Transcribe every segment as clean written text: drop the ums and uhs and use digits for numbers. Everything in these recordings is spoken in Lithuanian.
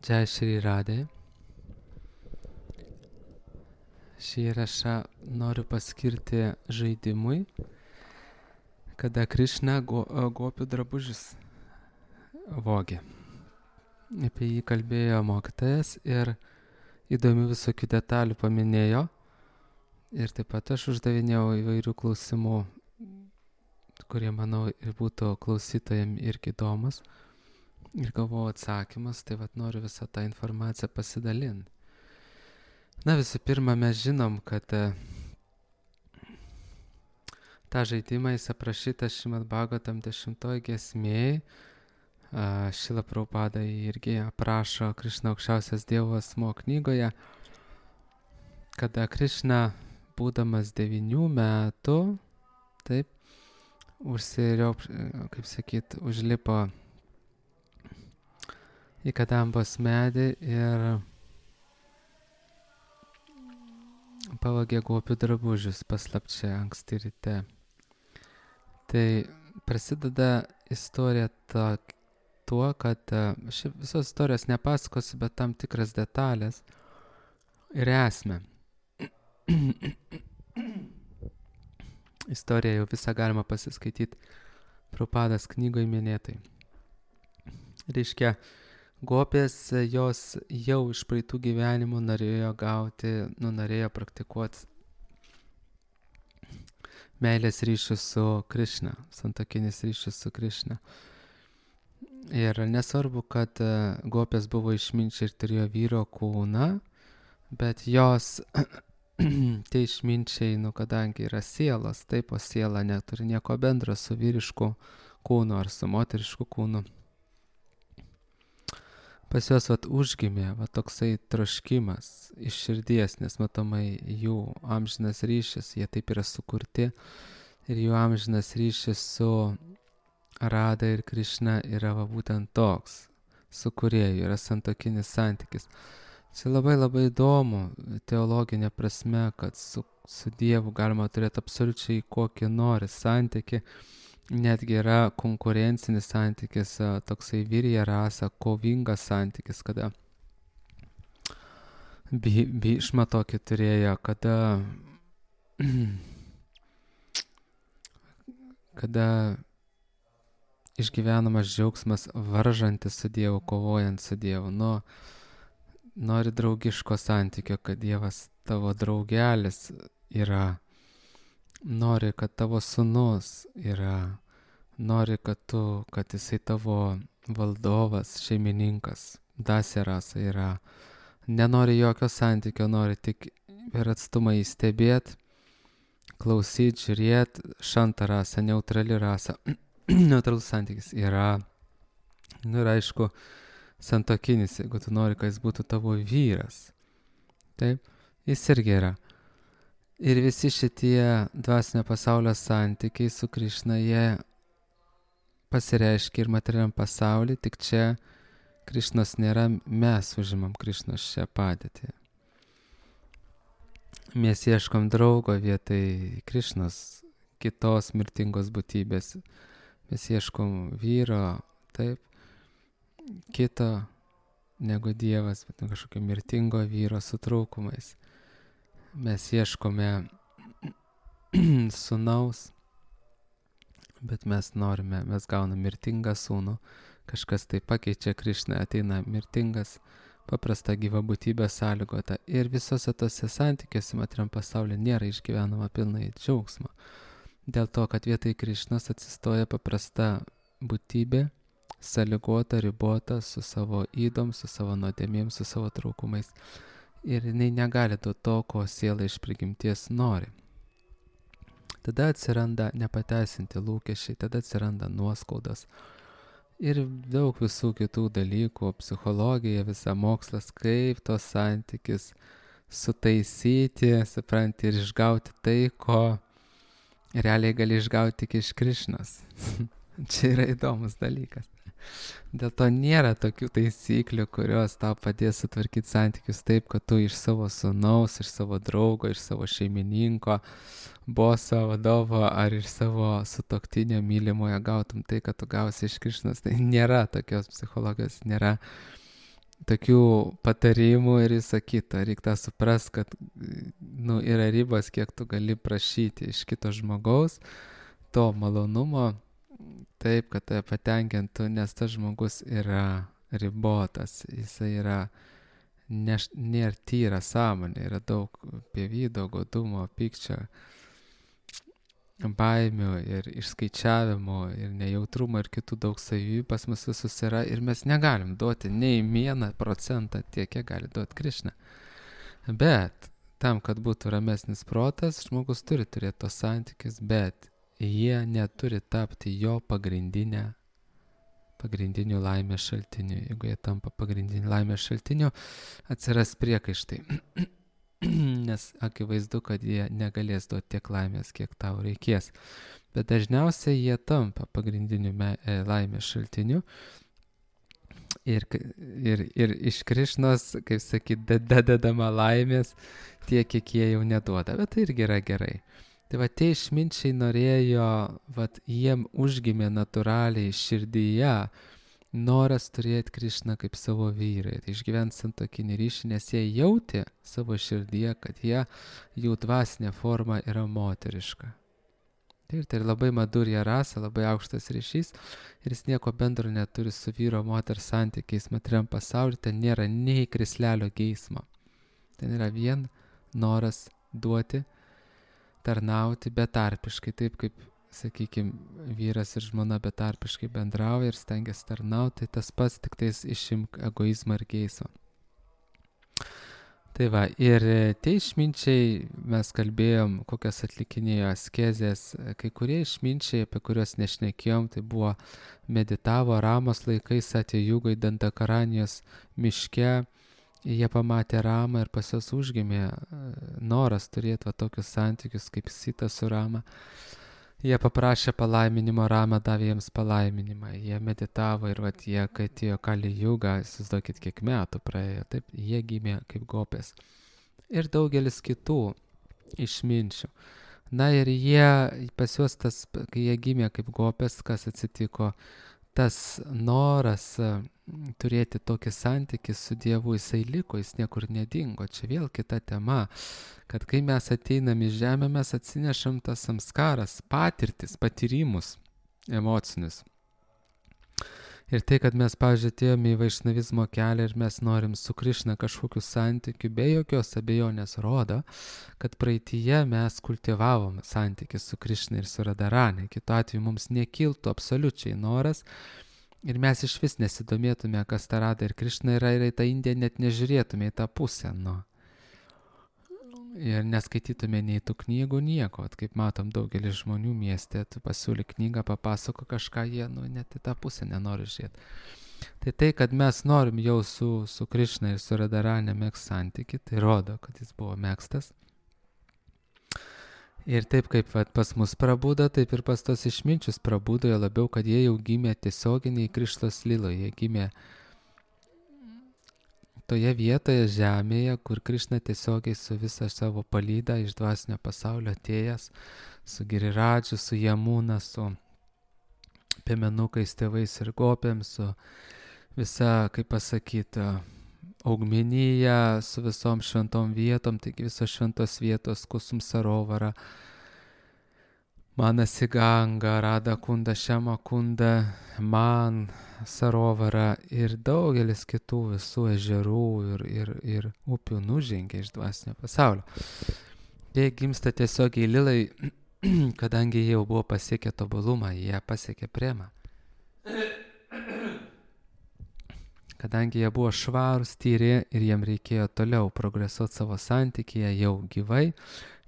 Jai Shri Radhe. Šį įrašą noriu paskirti žaidimui, kada Krišna gopių drabužius vogė. Apie jį kalbėjo mokytojas ir įdomių visokių detalių paminėjo. Ir taip pat aš uždavinėjau įvairių klausimų, kurie, manau, ir būtų klausytojams irgi įdomus. Ir gavau atsakymus, tai vat noriu visą tą informaciją pasidalinti. Na, visų pirma, mes žinom, kad tą žaidimą jis aprašytas Šrimad Bhagavatam 10 giesmėj. Šrila Prabhupada irgi aprašo Krišna aukščiausias Dievo asmuo knygoje, kada Krišna, būdamas 9 metų, taip, užlipo į kadambos medį ir pavogė gopių drabužius paslapčia anksti ryte. Tai prasideda istorija tuo, kad visos istorijos nepasakosiu, bet tam tikras detalės ir esmę. Istoriją jau visą galima pasiskaityti Prabhupados knygoje minėtai. Reiškia, gopės jos jau iš praeitų gyvenimų norėjo praktikuoti meilės ryšius su Krišna, santuokinis ryšius su Krišna. Ir nesvarbu, kad gopės buvo išminčiai ir turėjo vyro kūną, bet jos, tie išminčiai, kadangi yra sielos, taip, o siela neturi nieko bendro su vyrišku kūnu ar su moterišku kūnu. Pas juos užgimė toksai troškimas iš širdies, nes matomai jų amžinas ryšis, jie taip yra sukurti ir jų amžinas ryšis su Radha ir Krišna yra būtent toks, su kūrėju, yra santuokinis santykis. Tai labai įdomu teologinė prasme, kad su Dievu galima turėti absoliučiai kokį nori santykį. Netgi yra konkurencinis santykis, toksai virija rasa, kovingas santykis, kada Bhishma tokį turėjo, kada išgyvenamas džiaugsmas varžantis su Dievu, kovojant su Dievu. Nori draugiško santykio, kad Dievas tavo draugelis yra. Nori, kad tavo sūnus yra, nori, kad jisai tavo valdovas, šeimininkas, dasirasa yra. Nenori jokio santykio, nori tik per atstumą įstebėti, klausyti, žiūrėti, šanta rasa, neutrali rasa. Neutralus santykis yra. Ir aišku, santuokinis, jeigu tu nori, kad jis būtų tavo vyras. Taip, jis irgi yra. Ir visi šitie dvasinio pasaulio santykiai su Krišna, jie pasireiškia ir materialiam pasauly, tik čia Krišnos nėra, mes užimam Krišnos šią padėtį. Mes ieškom draugo vietoj Krišnos, kitos mirtingos būtybės. Mes ieškom vyro, taip, kito negu Dievas, bet kažkokio mirtingo vyro su trūkumais. Mes ieškome sūnaus, bet mes gauname mirtingą sūnų, kažkas tai pakeičia Krišną, ateina mirtingas, paprasta gyva būtybė sąlygota. Ir visose tose santykiuose materiam pasaulyje nėra išgyvenama pilnai džiaugsmo. Dėl to, kad vietoj Krišnos atsistoja paprasta būtybė, sąlygota, ribota, su savo ydom, su savo nuodėmėm, su savo trūkumais. Ir jinai negali duoti to, ko siela iš prigimties nori. Tada atsiranda nepateisinti lūkesčiai, tada atsiranda nuoskaudos. Ir daug visų kitų dalykų, psichologija, visa mokslas, kaip tos santykis sutaisyti, supranti, ir išgauti tai, ko realiai gali išgauti tik iš Krišnos. Čia yra įdomus dalykas. Dėl to nėra tokių taisyklių, kurios tau padės sutvarkyti santykius taip, kad tu iš savo sūnaus, iš savo draugo, iš savo šeimininko, boso, vadovo ar iš savo sutuoktinio mylimojo gautum tai, kad tu gausi iš Krišnos. Tai nėra tokios psichologijos, nėra tokių patarimų ir visą kitą. Reikia tą suprast, kad yra ribos, kiek tu gali prašyti iš kito žmogaus to malonumo, taip, kad tave patenkintų, nes tas žmogus yra ribotas, jisai yra nėra tyra sąmonė, yra daug pievydo, godumo, pykčio, baimių ir išskaičiavimo ir nejautrumo ir kitų daug savybių pas mus visus yra ir mes negalim duoti nei 1% tiek, kiek gali duoti Krišna. Bet tam, kad būtų ramesnis protas, žmogus turi turėti tos santykius, bet jie neturi tapti jo pagrindiniu laimės šaltiniu. Jeigu jie tampa pagrindiniu laimės šaltiniu, atsiras priekaištai. Nes akivaizdu, kad jie negalės duoti tiek laimės, kiek tau reikės. Bet dažniausiai jie tampa pagrindiniu laimės šaltiniu. Ir iš Krišnos, kaip sakyt, dedama laimės tiek, kiek jie jau neduoda. Bet tai irgi yra gerai. Tai va, tie išminčiai norėjo, jiem užgimė natūraliai širdyje noras turėti Krišną kaip savo vyrą ir išgyventi santuokinį ryšį, nes jie jautė savo širdyje, kad jų dvasinė forma yra moteriška. Tai labai madurja rasa, labai aukštas ryšys ir jis nieko bendro neturi su vyro moters santykiais materiam pasaulyje, ten nėra nei krislelio geismo. Ten yra vien noras duoti, tarnauti betarpiškai, taip kaip, sakykime, vyras ir žmona betarpiškai bendrauja ir stengiasi tarnauti, tai tas pats, tik tais išimk egoizmą ir geismą. Tai va, ir tie išminčiai, mes kalbėjom, kokias atlikinėjo askezės, kai kurie išminčiai, apie kuriuos nešnekėjom, tai buvo meditavo Ramos laikais atėjūgai Dandakaranijos miške, jie pamatė Ramą ir pas juos užgimė noras turėti tokius santykius kaip Sita su Rama. Jie paprašė palaiminimo, Rama davė jiems palaiminimą, jie meditavo ir jie, kai atėjo Kali Juga, įsivaizduokit, kiek metų praėjo, taip, jie gimė kaip gopės. Ir daugelis kitų išminčių. Na ir pas juos kai jie gimė kaip gopės, kas atsitiko, tas noras turėti tokį santykį su Dievu, jisai liko, jis niekur nedingo. Čia vėl kita tema, kad kai mes ateinam į žemę, mes atsinešam tas samskaras, patyrimus emocinius. Ir tai, kad mes, pavyzdžiui, atėjome į vaišnavizmo kelią ir mes norim su Krišna kažkokiu santykiu, be jokios abejonės rodo, kad praeityje mes kultivavom santykį su Krišna ir su Radharani. Kitu atveju mums nekiltų absoliučiai noras ir mes iš vis nesidomėtume, kas ta Radha ir Krišna yra, ir į tą Indiją net nežiūrėtume į tą pusę. Ir neskaitytume nei tų knygų, nieko. Kaip matom, daugelis žmonių mieste, tu pasiūly knygą, papasako kažką, jie net į tą pusę nenori žiūrėti. Tai, kad mes norim jau su Krišna ir su Radharani megzti santykį, tai rodo, kad jis buvo megztas. Ir taip kaip pas mus prabudo, taip ir pas tos išminčius prabudo, jo labiau, kad jie jau gimė tiesioginiai Krišnos lyloje, jie gimė toje vietoje žemėje, kur Krišna tiesiogiai su visa savo palyda iš dvasinio pasaulio atėjęs, su Giriradžu, su Jamuna, su piemenukais, tėvais ir gopėm, su visa, kaip pasakyti, augmenija, su visom šventom vietom, taigi visos šventos vietos, Kusum Sarovara, Manasiganga, Radha Kunda, Šema Kunda, Man Sarovara ir daugelis kitų visų ežerų ir upių nužengė iš dvasinio pasaulio. Jie gimsta tiesiogiai lilai, kadangi jie jau buvo pasiekę tobulumą, jie pasiekė premą. Kadangi jie buvo švarūs, tyri ir jiem reikėjo toliau progresuoti savo santykyje jau gyvai,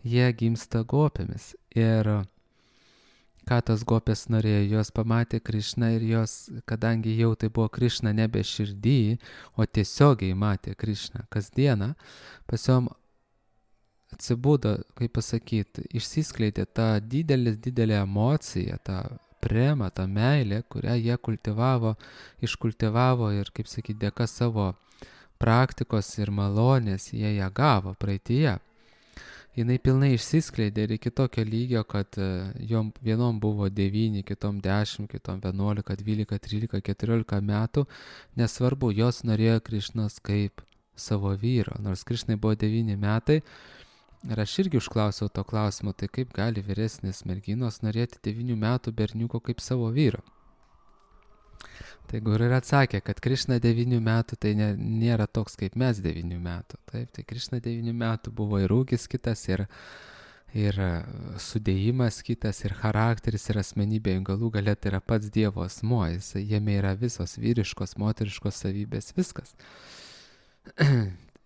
jie gimsta gopėmis. Ir ką tos gopės norėjo, jos pamatė Krišną ir jos, kadangi jau tai buvo Krišna nebe širdį, o tiesiogiai matė Krišną kasdieną, pas jom atsibudo, kaip pasakyti, išsiskleidė ta didelė emocija, ta prema, ta meilė, kurią jie iškultivavo ir, kaip sakyti, dėka savo praktikos ir malonės jie ją gavo praeityje. jinai pilnai išsiskleidė ir iki tokio lygio, kad jom vienom buvo 9, kitom 10, kitom 11, 12, 13, 14 metų. Nesvarbu, jos norėjo Krišnos kaip savo vyro, nors Krišnai buvo 9 metai. Ir aš irgi užklausiau to klausimo, tai kaip gali vyresnės merginos norėti 9 metų berniuko kaip savo vyro. Tai Guru ir atsakė, kad Krišna 9 metų tai nėra toks kaip mes 9 metų. Taip, tai Krišna 9 metų buvo ir ūgis kitas, ir sudėjimas kitas, ir charakteris, ir asmenybė, galų galia tai yra pats Dievo asmuo, jame yra visos vyriškos, moteriškos savybės, viskas.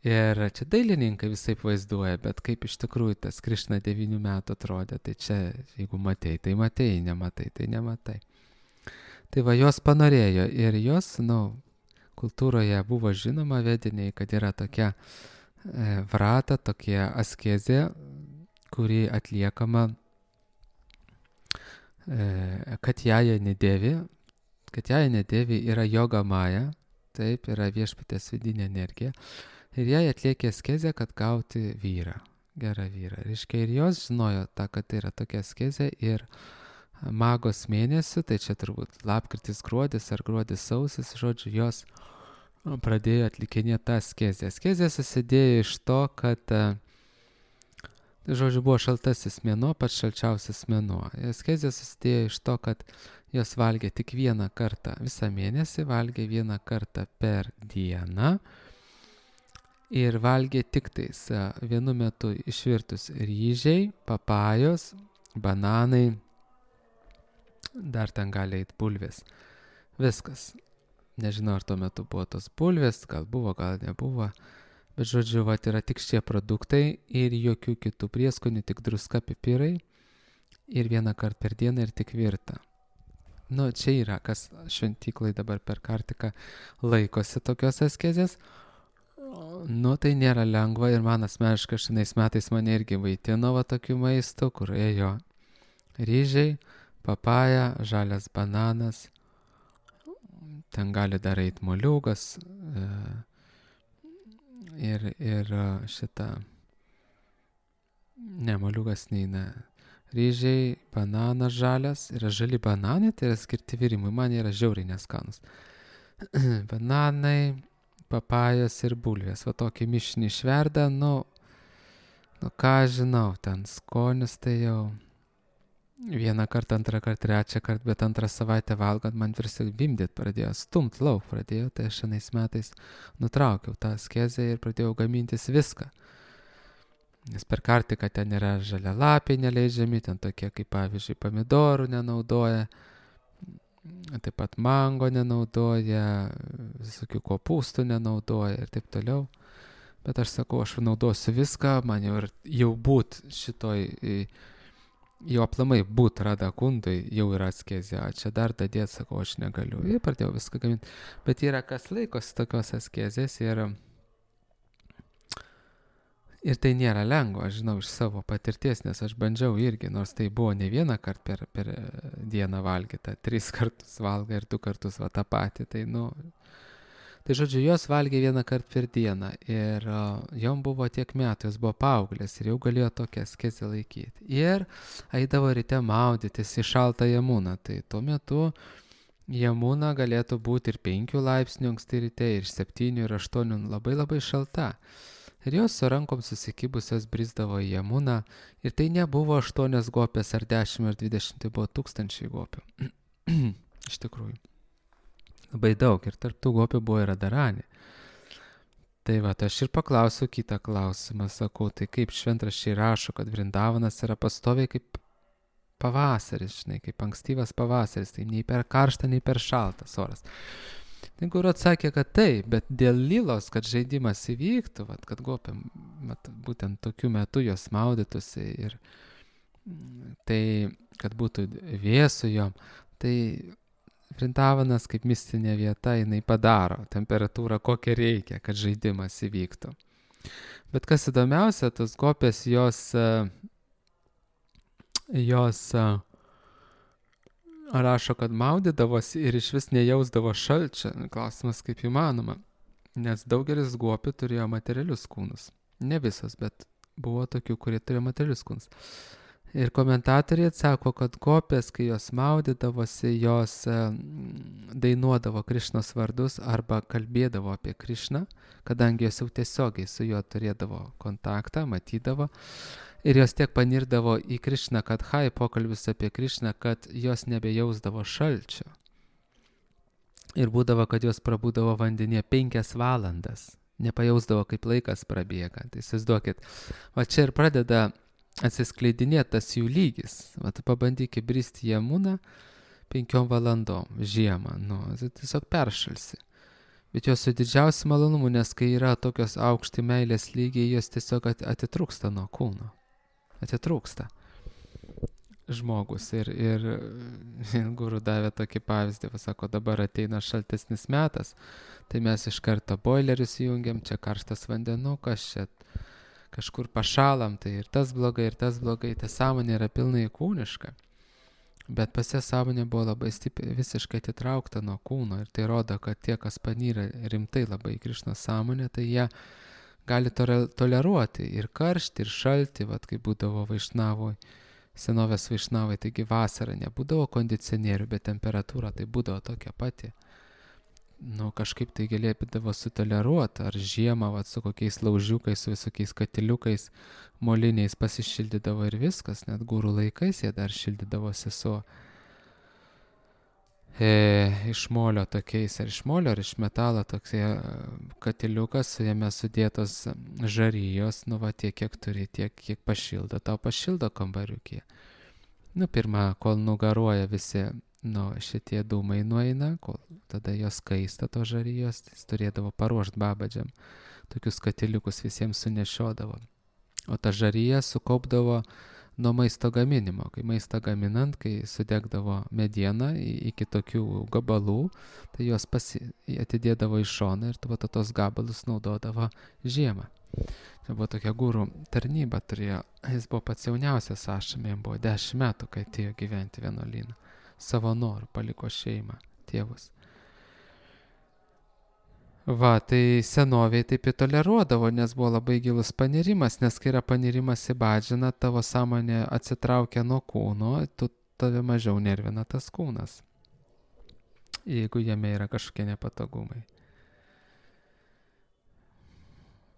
Ir čia dailininkai visai vaizduoja, bet kaip iš tikrųjų tas Krišna 9 metų atrodė, tai čia jeigu matei, tai matei, nematai, tai nematai. Tai va, jos panorėjo ir jos, kultūroje buvo žinoma vediniai, kad yra tokia vrata, tokia askezė, kuri atliekama Katjaja Nedėvi. Katjaja Nedėvi yra joga maja, taip, yra viešpatės vidinė energija. Ir jai atliekė askezę, kad gauti vyrą, gerą vyrą. Reiškia, ir jos žinojo tą, kad tai yra tokia askezė ir magos mėnesių, tai čia turbūt lapkritis, gruodis ar gruodis sausis, žodžiu, jos pradėjo atlikinėti tą askezę. Askezė susidėjo iš to, kad, žodžiu, buvo šaltasis mėnuo, pats šalčiausias mėnuo. Askezė susidėjo iš to, kad jos valgė tik vieną kartą visą mėnesį, valgė vieną kartą per dieną ir valgė tik tais vienu metu išvirtus ryžiai, papajos, bananai, dar ten gali eit bulvės. Viskas. Nežinau, ar tuo metu buvo tos bulvės, gal buvo, gal nebuvo. Bet žodžiu, yra tik šie produktai ir jokių kitų prieskonių, tik druska, pipirai ir vieną kartą per dieną ir tik virta. Čia yra, kas šventyklai dabar per Kartiką laikosi tokios askezės. Tai nėra lengva ir man asmeniškai šiais metais mane irgi vaitino tokių maistų, kur ėjo ryžiai, papaja, žalias bananas, ten gali dar eit moliūgas ir šitą, ne, moliūgas neina, ryžiai, bananas žalias, yra žali bananai, tai yra skirti virimui, man yra žiauriai neskanus. Bananai, papajos ir bulvės, tokį mišinį išverda, ką žinau, ten skonis tai jau vieną kartą, antrą kartą, trečią kartą, bet antrą savaitę valgant man visi vimdyt pradėjo, stumt lauk pradėjo, tai aš šiais metais nutraukiau tą askezę ir pradėjau gamintis viską. Nes per Kartiką ten yra žalialapiai neleidžiami, ten tokie kaip pavyzdžiui pomidorų nenaudoja, taip pat mango nenaudoja, visokių kopūstų nenaudoja ir taip toliau. Bet aš sakau, aš naudosiu viską, man jau būt šitoj, jau aplamai būt Radha Kundui jau yra askezė, čia dar dadėt, sakau, aš negaliu. Ir pradėjau viską gaminti. Bet yra kas laikosi tokios askezės ir tai nėra lengva, aš žinau iš savo patirties, nes aš bandžiau irgi, nors tai buvo ne vieną kartą per dieną valgyta, 3 kartus valga ir 2 kartus tą patį, tai žodžiu, jos valgė vieną kartą per dieną ir jom buvo tiek metų, jos buvo paauglės ir jau galėjo tokią askezę laikyti. Ir eidavo ryte maudytis į šaltą Jamuną, tai tuo metu Jamuna galėtų būti ir 5 laipsnių anksti ryte, ir 7, ir 8, labai labai šalta. Ir jos su rankom susikibusios brisdavo į Jamuną ir tai nebuvo 8 gopės ar 10 ar 20, tai buvo 1000 gopių. Iš tikrųjų. Labai daug ir tarp tų gopių buvo ir Radharani. Tai aš ir paklausiu kitą klausimą, sakau, tai kaip šventraščiai rašo, kad Vrindavanas yra pastoviai kaip pavasaris, žinai, kaip ankstyvas pavasaris, tai nei per karštą, nei per šaltas oras. Tai Guru atsakė, kad taip, bet dėl lilos, kad žaidimas įvyktų, kad gopiam, būtent tokiu metu jos maudytųsi ir tai, kad būtų vėsu jom, tai Vrindavanas kaip mistinė vieta, jinai padaro temperatūrą, kokią reikia, kad žaidimas įvyktų. Bet kas įdomiausia, tos gopės jos rašo, kad maudydavosi ir iš vis nejausdavo šalčio. Klausimas, kaip įmanoma, nes daugelis gopių turėjo materialius kūnus. Ne visos, bet buvo tokių, kurie turėjo materialius kūnus. Ir komentatoriai atsako, kad gopės, kai jos maudydavosi, jos dainuodavo Krišnos vardus arba kalbėdavo apie Krišną, kadangi jos jau tiesiogiai su juo turėdavo kontaktą, matydavo. Ir jos tiek panirdavo į Krišną, kad pokalbis apie Krišną, kad jos nebejausdavo šalčio. Ir būdavo, kad jos prabūdavo vandenyje 5 valandas. Nepajausdavo, kaip laikas prabėga. Tai įsivaizduokit, va čia ir pradeda atsiskleidinėti tas jų lygis. Vat pabandyk įbristi į Jamuną 5 valandom žiemą. Tai tiesiog peršalsi. Bet jos su didžiausiu malonumu, nes kai yra tokios aukšti meilės lygiai, jos tiesiog atitrūksta nuo kūno. Atitrūksta žmogus. Ir guru davė tokį pavyzdį, sako, dabar ateina šaltesnis metas, tai mes iš karto boilerius įjungiam, čia karštas vandenukas, čia kažkur pašalam, tai ir tas blogai, ta sąmonė yra pilnai kūniška. Bet pas ją sąmonė buvo labai stipriai, visiškai atitraukta nuo kūno ir tai rodo, kad tie, kas panyra rimtai labai į Krišnos sąmonę, tai jie gali toleruoti ir karštį, ir šaltį, vat kaip būdavo Vaišnavoj, senovės Vaišnavai, taigi vasarą nebūdavo kondicionierių, bet temperatūra tai būdavo tokia pati. Kažkaip tai galėdavo sutoleruoti, ar žiemą su kokiais laužiukais, su visokiais katiliukais, moliniais pasišildydavo ir viskas, net gūrų laikais jie dar šildydavosi su iš molio tokiais, ar iš molio, ar iš metalo toksai katiliukas, su jame sudėtos žarijos, tiek, kiek turi, tiek, kiek pašildo, tau pašildo kambariukė. Pirmą, kol nugaruoja visi, šitie dūmai nueina, kol tada jos kaista to žarijos, jis turėdavo paruošti babadžiam, tokius katiliukus visiems sunešiodavo. O ta žarija sukaupdavo nuo maisto gaminimo, kai maistą gaminant, kai sudegdavo medieną iki tokių gabalų, tai jos atidėdavo į šoną ir tos gabalus naudodavo žiemą. Čia buvo tokia gūrų tarnyba turėjo, jis buvo pats jauniausias ašame, jam buvo 10 metų, kai atėjo gyventi vienuolyną. Savo norų paliko šeimą, tėvus. Tai senoviai taip įtoleruodavo, nes buvo labai gilus panirimas, nes kai yra panirimas į badžiną, tavo sąmonė atsitraukia nuo kūno, tave mažiau nervina tas kūnas, jeigu jame yra kažkokie nepatogumai.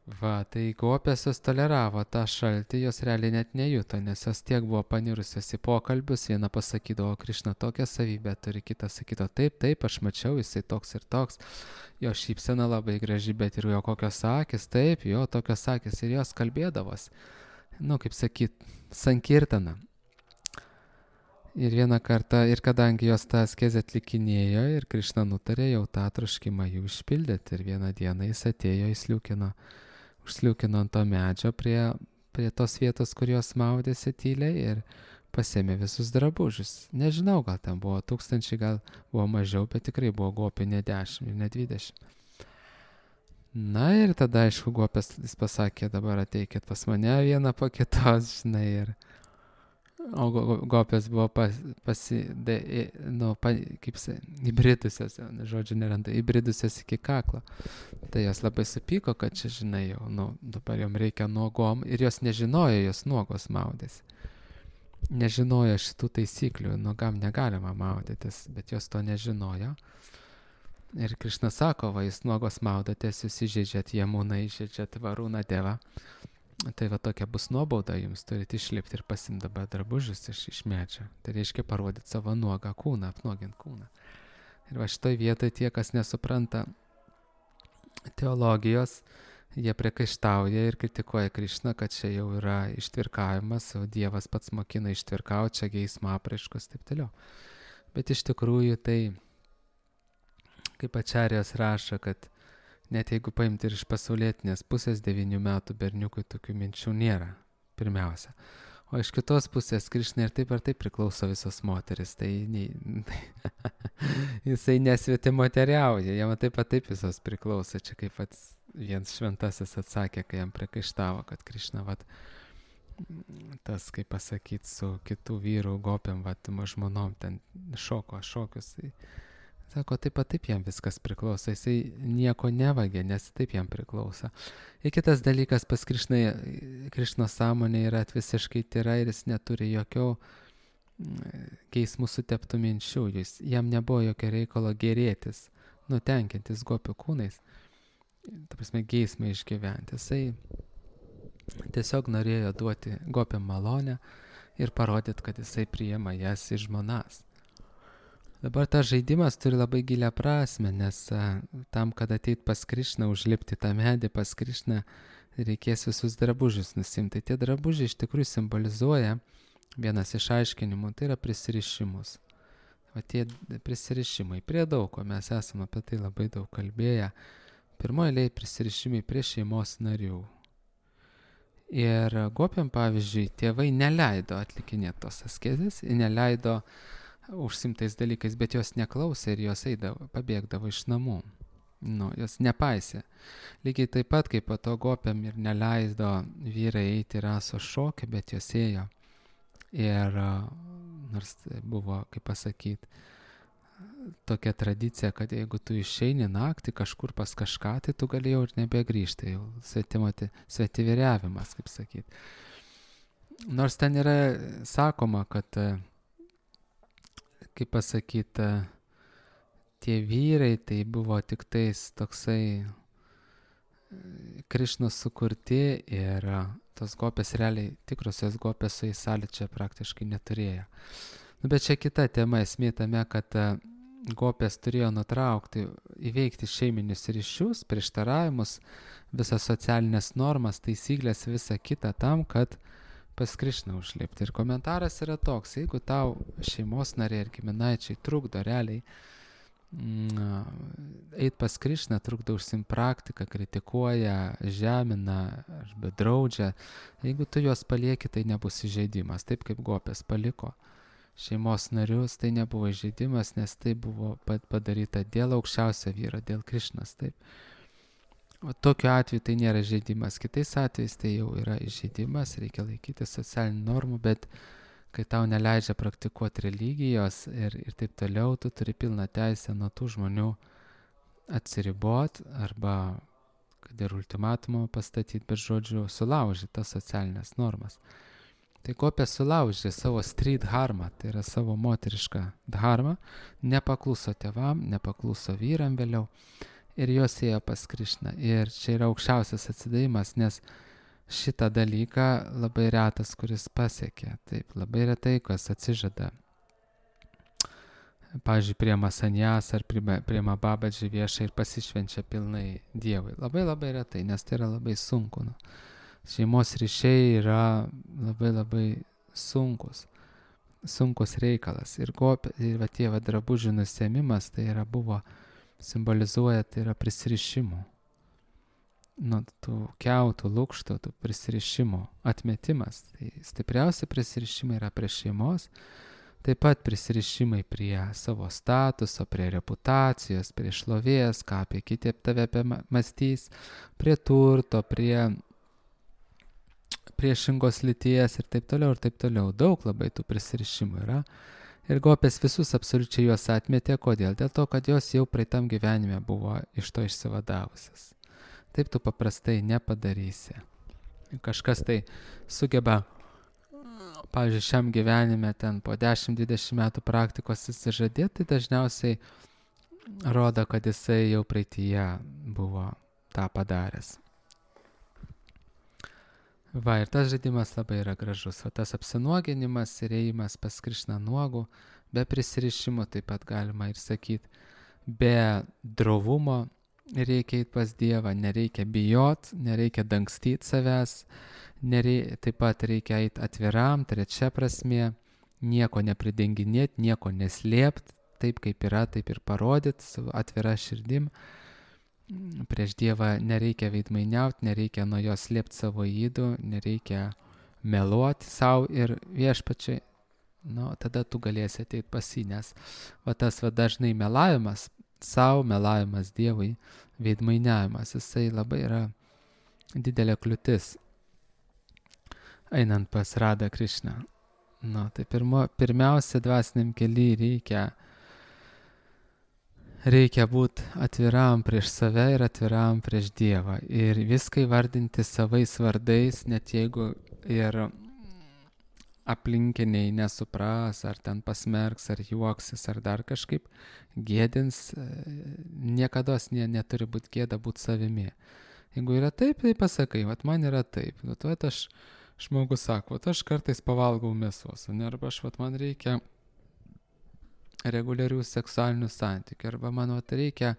Tai gopės jos toleravo tą šaltį, jos realiai net nejuto, nes jos tiek buvo panirusios į pokalbius, viena pasakydavo, Krišna tokią savybę turi, kita sakyto, taip, aš mačiau, jisai toks ir toks, jo šypsena labai graži, bet ir jo kokios akis, taip, jo tokios akis, ir jos kalbėdavos, kaip sakyt, sankirtana. Ir vieną kartą, ir kadangi jos tą askezę atlikinėjo, ir Krišna nutarė jau tą troškimą jų išpildyti, ir vieną dieną jis atėjo, užsliūkino ant to medžio prie tos vietos, kur jos maudėsi tyliai ir pasėmė visus drabužius. Nežinau, gal ten buvo 1000, gal buvo mažiau, bet tikrai buvo gopių ne 10 ir ne 20. Ir tada, aišku, gopės jis pasakė, dabar ateikit pas mane vieną po kitos, žinai, o gopės buvo įbridusios, žodžiu neranda, įbridusios iki kaklo. Tai jos labai supyko, kad čia, žinai, jau, dabar jom reikia nuogom, ir jos nežinojo, jos nuogos maudėsi. Nežinojo šitų taisyklių, nuogam negalima maudytis, bet jos to nežinojo. Ir Krišna sako, jūs nuogos maudatės, jūs įžeidžiat Jamuną, įžeidžiat Varūną Devą. Tai tokia bus nuobauda, jums turite išlipti ir pasimti dabar drabužius iš medžio. Tai reiškia parodyti savo nuogą kūną, apnuoginti kūną. Ir šitoj vietoje tie, kas nesupranta teologijos, jie priekaištauja ir kritikuoja Krišną, kad čia jau yra ištvirkavimas, o Dievas pats mokina ištvirkauti, čia geismo apraiškos, taip toliau. Bet iš tikrųjų tai, kaip Ačarjos rašo, kad net jeigu paimti ir iš pasaulietinės pusės 9 metų berniukui tokių minčių nėra, pirmiausia. O iš kitos pusės Krišnai ir taip priklauso visos moteris, tai jisai nesvetimoteriauja, jam taip visos priklauso. Čia kaip vienas šventasis atsakė, kai jam priekaištavo, kad Krišna tas, kaip pasakyti, su kitų vyrų gopėm, žmonom ten šokius. Sako, taip jam viskas priklauso, jisai nieko nevagė, nes taip jam priklauso. Ir kitas dalykas, pas Krišnos sąmonė yra visiškai tyra ir jis neturi jokio geismų suteptų minčių, jam nebuvo jokio reikalo gerėtis, nutenkintis gopių kūnais, ta prasme geismą išgyventi. Jisai tiesiog norėjo duoti gopiam malonę ir parodyti, kad jisai priima jas į žmonas. Dabar tas žaidimas turi labai gilią prasme, nes tam, kad ateit pas Krišną, užlipti tą medį pas Krišną, reikės visus drabužius nusimti. Tie drabužiai iš tikrųjų simbolizuoja, vienas iš aiškinimų, tai yra prisirišimus. O tie prisirišimai prie daug, ko mes esame apie tai labai daug kalbėję. Pirmoje eilėje prisirišimai prie šeimos narių. Ir gopiam, pavyzdžiui, tėvai neleido atlikinėti tos askezės, neleido užsimtais dalykais, bet jos neklausė ir jos pabėgdavo iš namų. Jos nepaisė. Lygiai taip pat, kaip po to gopiam ir neleido vyrai eiti raso šokį, bet jos ėjo. Ir nors buvo, kaip pasakyti, tokia tradicija, kad jeigu tu išeini naktį kažkur pas kažką, tai tu galėjau ir nebegrįžti, jau svetiviriavimas, kaip sakyti. Nors ten yra sakoma, kad kaip pasakyti, tie vyrai tai buvo tik tais toksai Krišnos sukurti ir tos gopės realiai, tikrosios gopės su jais sąlyčio praktiškai neturėjo. Bet čia kita tema, esmė tame, kad gopės turėjo nutraukti, įveikti šeiminius ryšius, prieštaravimus, visas socialinės normas, taisyklės, visą kitą tam, kad pas Krišną užlipti. Ir komentaras yra toks, jeigu tau šeimos nariai ir giminaičiai trukdo realiai eit pas Krišną, trukdo užsiimti praktiką, kritikuoja, žemina arba draudžia, jeigu tu juos palieki, tai nebus įžeidimas, taip kaip gopės paliko šeimos narius, tai nebuvo įžeidimas, nes tai buvo padaryta dėl aukščiausio vyro, dėl Krišnos, taip. O tokiu atveju tai nėra žaidimas. Kitais atvejais tai jau yra įžeidimas, reikia laikyti socialinių normų, bet kai tau neleidžia praktikuoti religijos ir taip toliau, tu turi pilną teisę nuo tų žmonių atsiribot arba, kad ir ultimatumą pastatyti, bet žodžiu, sulaužyti tas socialinės normas. Tai gopė sulaužė savo street dharmą, tai yra savo moterišką dharmą, nepakluso tėvam, nepakluso vyram vėliau. Ir jos ėjo pas Krišną. Ir čia yra aukščiausias atsidavimas, nes šitą dalyką labai retas, kuris pasiekė. Taip, labai retai, kas atsižada. Pavyzdžiui, priema sanjas ar priema babadžį viešai ir pasišvenčia pilnai Dievui. Labai retai, nes tai yra labai sunku. Šeimos ryšiai yra labai sunkus reikalas. Ir tie drabužių nusėmimas, tai buvo simbolizuoja, tai yra prisirišimų. Tų kiautų, lukštų, tų prisirišimų atmetimas. Tai stipriausi prisirišimai yra prie šeimos, taip pat prisirišimai prie savo statuso, prie reputacijos, prie šlovės, ką apie kiti tave mąstys, prie turto, prie priešingos lyties ir taip toliau. Daug labai tų prisirišimų yra. Ir gopės visus absoliučiai juos atmetė. Kodėl? Dėl to, kad jos jau praeitam gyvenime buvo iš to išsivadavusios. Taip tu paprastai nepadarysi. Kažkas tai sugeba, pavyzdžiui, šiam gyvenime ten po 10-20 metų praktikos įsižadėti, tai dažniausiai rodo, kad jisai jau praeityje buvo tą padaręs. Ir tas žaidimas labai yra gražus. O tas apsinuoginimas ir ėjimas pas Krišną nuogų, be prisirišimo, taip pat galima ir sakyti, be drovumo reikia eiti pas Dievą, nereikia bijot, nereikia dangstyti savęs, taip pat reikia eiti atviram, trečia prasmė, nieko nepridenginėti, nieko neslėpti, taip kaip yra, taip ir parodyti su atvira širdim. Prieš Dievą nereikia veidmainiauti, nereikia nuo jo slėpti savo ydų, nereikia meluoti savo ir viešpačiai. Tada tu galėsi ateiti pas jį, nes tas dažnai melavimas savo, melavimas Dievui, veidmainiavimas, jisai labai yra didelė kliūtis einant pas Radha Krišną. Tai pirmiausia, dvasiniam kely reikia reikia būti atviram prieš save ir atviram prieš Dievą. Ir viską įvardinti savais vardais, net jeigu ir aplinkiniai nesupras, ar ten pasmerks, ar juoksis, ar dar kažkaip gėdins, niekados neturi būti gėda būti savimi. Jeigu yra taip, tai pasakai, vat man yra taip. Vat aš, žmogus sako, vat aš kartais pavalgau mėsos, arba man reikia reguliarių seksualinių santykių, arba man reikia,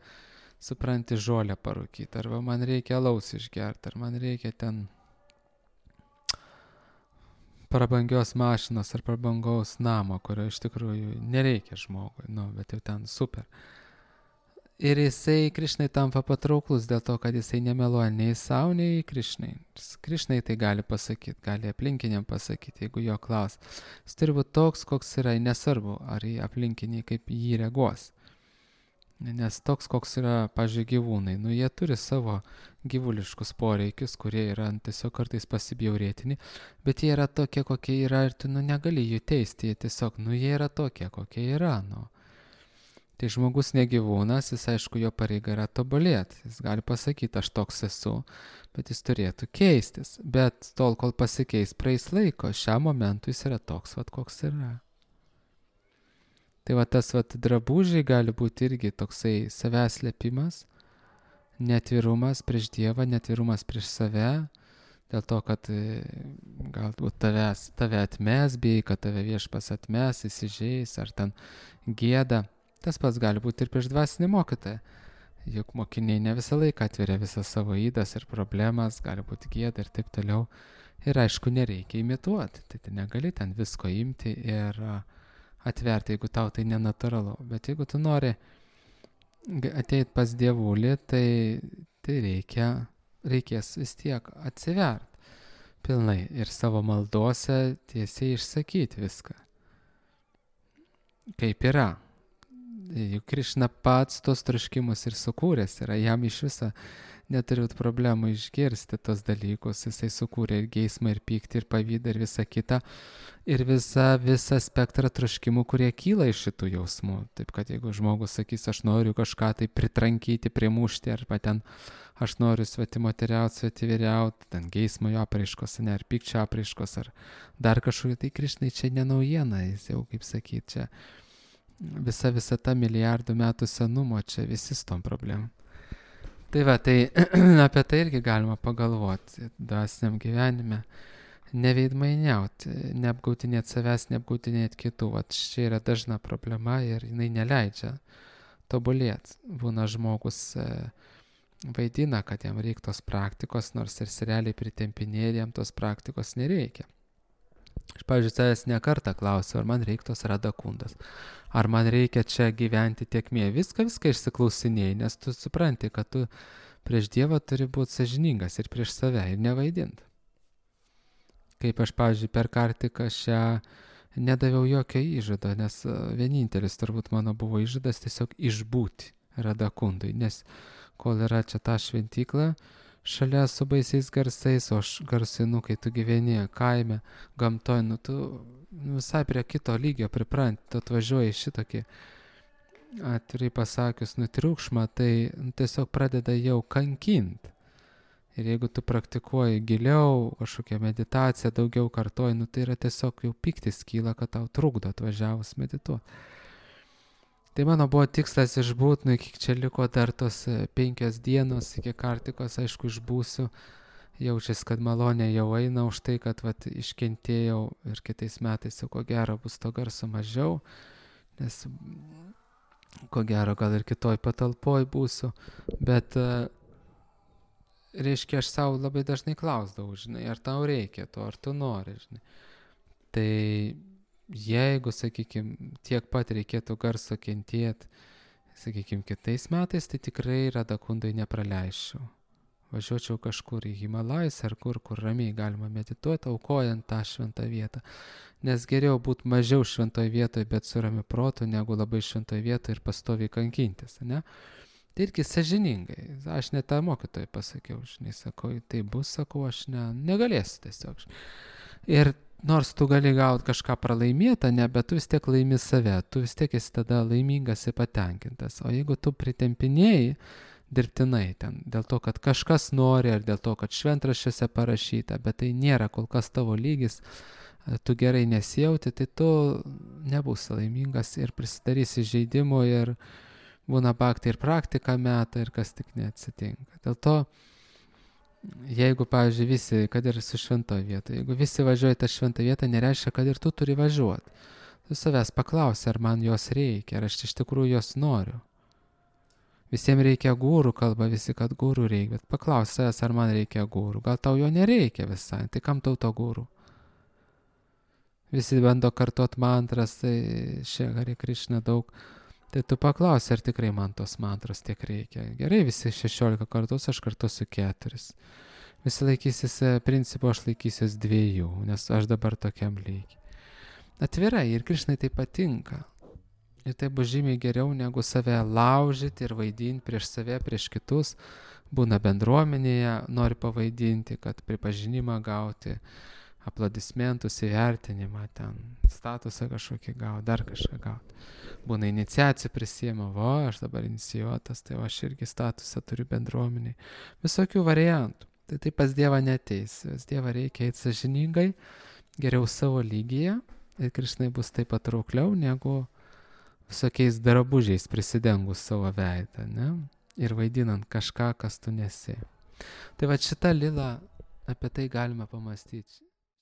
supranti, žolę parūkyti, arba man reikia alaus išgerti, ar man reikia ten prabangios mašinos ar prabangaus namo, kurio iš tikrųjų nereikia žmogui, bet jau ten super. Ir jisai Krišnai tampa patrauklus dėl to, kad jisai nemeluoja nei savo, nei Krišnai. Krišnai tai gali pasakyti, gali aplinkiniam pasakyti, jeigu jo klaus. Jis turi būti toks, koks yra, nesvarbu, ar į aplinkiniai kaip jį reaguos. Nes toks, koks yra, pavyzdžiui, gyvūnai, jie turi savo gyvuliškus poreikius, kurie yra tiesiog kartais pasibjaurėtini, bet jie yra tokie, kokie yra ir tu negali jų teisti, jie tiesiog, jie yra tokie, kokie yra, Tai žmogus ne gyvūnas, jis aišku, jo pareiga yra tobulėti. Jis gali pasakyti, aš toks esu, bet jis turėtų keistis. Bet tol, kol pasikeis, praeis laiko, šiam momentui jis yra toks, koks yra. Tai tas drabužiai gali būti irgi toksai savęs slėpimas, netvirumas prieš Dievą, netvirumas prieš save, dėl to, kad galbūt tave atmes, bijai, kad tave viešpas atmes, įsižeis, ar ten gėda. Tas pats gali būti ir prieš dvasinį mokytoją. Juk mokiniai ne visą laiką atveria visas savo ydas ir problemas, gali būti gėda ir taip toliau. Ir aišku, nereikia imituoti. Tai negali ten visko imti ir atverti, jeigu tau tai nenatūralu. Bet jeigu tu nori ateiti pas Dievulį, tai reikės vis tiek atsiverti pilnai ir savo maldose tiesiai išsakyti viską. Kaip yra. Juk Krišna pats tos troškimus ir sukūręs yra, jam iš viso neturiu problemų išgirsti tos dalykus, jisai sukūrė ir geismą, ir pyktį, ir pavydą, ir visą kitą, ir visą spektrą troškimų, kurie kyla iš šitų jausmų. Taip kad jeigu žmogus sakys, aš noriu kažką tai pritrankyti, primušti, arba ten aš noriu svetimoteriauti, svetiviriauti, ten geismo jo apraiškos, ar pykčio apraiškos, ar dar kažkokiu, tai Krišnai čia ne naujiena, jis jau, kaip sakyti, čia visa ta milijardų metų senumo, čia visi su tom problemom. Tai apie tai irgi galima pagalvoti dvasiniam gyvenime. Neveidmainiauti, neapgautinėti savęs, neapgautinėti kitų. Čia yra dažna problema ir jinai neleidžia tobulėti. Būna žmogus vaidina, kad jam reikia tos praktikos, nors ir serialiai pritempinėja, jam tos praktikos nereikia. Aš, pavyzdžiui, savęs nekartą klausiu, ar man reikia tos radakundos, ar man reikia čia gyventi tiekmėje. Viską išsiklausinėjai, nes tu supranti, kad tu prieš Dievą turi būti sąžiningas ir prieš save ir nevaidinti. Kaip aš, pavyzdžiui, per kartiką šią nedaviau jokio įžado, nes vienintelis turbūt mano buvo įžadas tiesiog išbūti radakundui, nes kol yra čia ta šventykla, šalia su baisiais garsais, o aš garsinu, kai tu gyveni kaime, gamtoj, tu visai prie kito lygio pripranti, tu atvažiuoji šitokį, atvirai pasakius, triukšmą, tai tiesiog pradeda jau kankinti. Ir jeigu tu praktikuoji giliau, kažkokią meditaciją daugiau kartoji, tai yra tiesiog jau pyktis kyla, kad tau trukdo atvažiavus medituoti. Tai mano buvo tikslas išbūti, iki čia liko dar tos 5 dienos, iki kartikos, aišku, išbūsiu. Jaučiasi, kad malonė jau eina už tai, kad iškentėjau ir kitais metais jau ko gero bus to garso mažiau, nes ko gero gal ir kitoj patalpoj būsiu, bet reiškia, aš savo labai dažnai klausdavau, ar tau reikia to, ar tu nori, Tai jeigu, sakykime, tiek pat reikėtų garso kentėti, sakykime, kitais metais, tai tikrai radakundai nepraleisčiau. Važiuočiau kažkur į Himalajus ar kur ramiai galima medituoti, aukojant tą šventą vietą. Nes geriau būti mažiau šventoje vietoje, bet su ramiu protu, negu labai šventoje vietoje ir pastoviai kankintis, ne? Tai irgi sąžiningai. Aš net tą mokytojai pasakiau, sakau, tai bus, sakau, aš negalėsiu tiesiog. Ir nors tu gali gauti kažką pralaimėtą, ne, bet tu vis tiek laimi save, tu vis tiek esi tada laimingas ir patenkintas. O jeigu tu pritempinėjai dirbtinai ten, dėl to, kad kažkas nori, ar dėl to, kad šventraščiuose parašyta, bet tai nėra kol kas tavo lygis, tu gerai nesijauti, tai tu nebūsi laimingas ir prisidarysi žaidimų ir būna baktai ir praktika meta ir kas tik neatsitinka. Dėl to, jeigu, pavyzdžiui, visi, kad ir su švento vieta, jeigu visi važiuoja tą šventą vietą, nereiškia, kad ir tu turi važiuoti. Tu savęs paklausi, ar man jos reikia, ar aš iš tikrųjų jos noriu. Visiems reikia gūrų, kalba visi, kad gūrų reikia, bet paklausi savęs, ar man reikia gūrų. Gal tau jo nereikia visai, tai kam tau to gūrų? Visi bando kartuot mantras, tai Hare Krishna daug. Tai tu paklausi, ar tikrai man tos mantros tiek reikia. Gerai, visi 16 kartus, aš kartuosiu 4. Visi laikysis principo, aš laikysiuos 2, nes aš dabar tokiam lygiai. Atvirai, ir Krishnai tai patinka. Ir tai bus žymiai geriau, negu save laužyti ir vaidinti prieš save, prieš kitus. Būna bendruomenėje, nori pavaidinti, kad pripažinimą gauti, aplodismentus, įvertinimą, ten statusą kažkokį gauti, dar kažką gauti. Būna iniciacijų prisiema, aš dabar inicijuotas, tai aš irgi statusą turiu bendruomeniai. Visokių variantų. Tai pas Dievą neteis. Vis Dievą reikia eiti sąžiningai, geriau savo lygyje ir Krishnai bus taip patraukliau, negu visokiais drabužiais prisidengus savo veidą, ne? Ir vaidinant kažką, kas tu nesi. Tai va šitą lilą, apie tai galime pamastyti.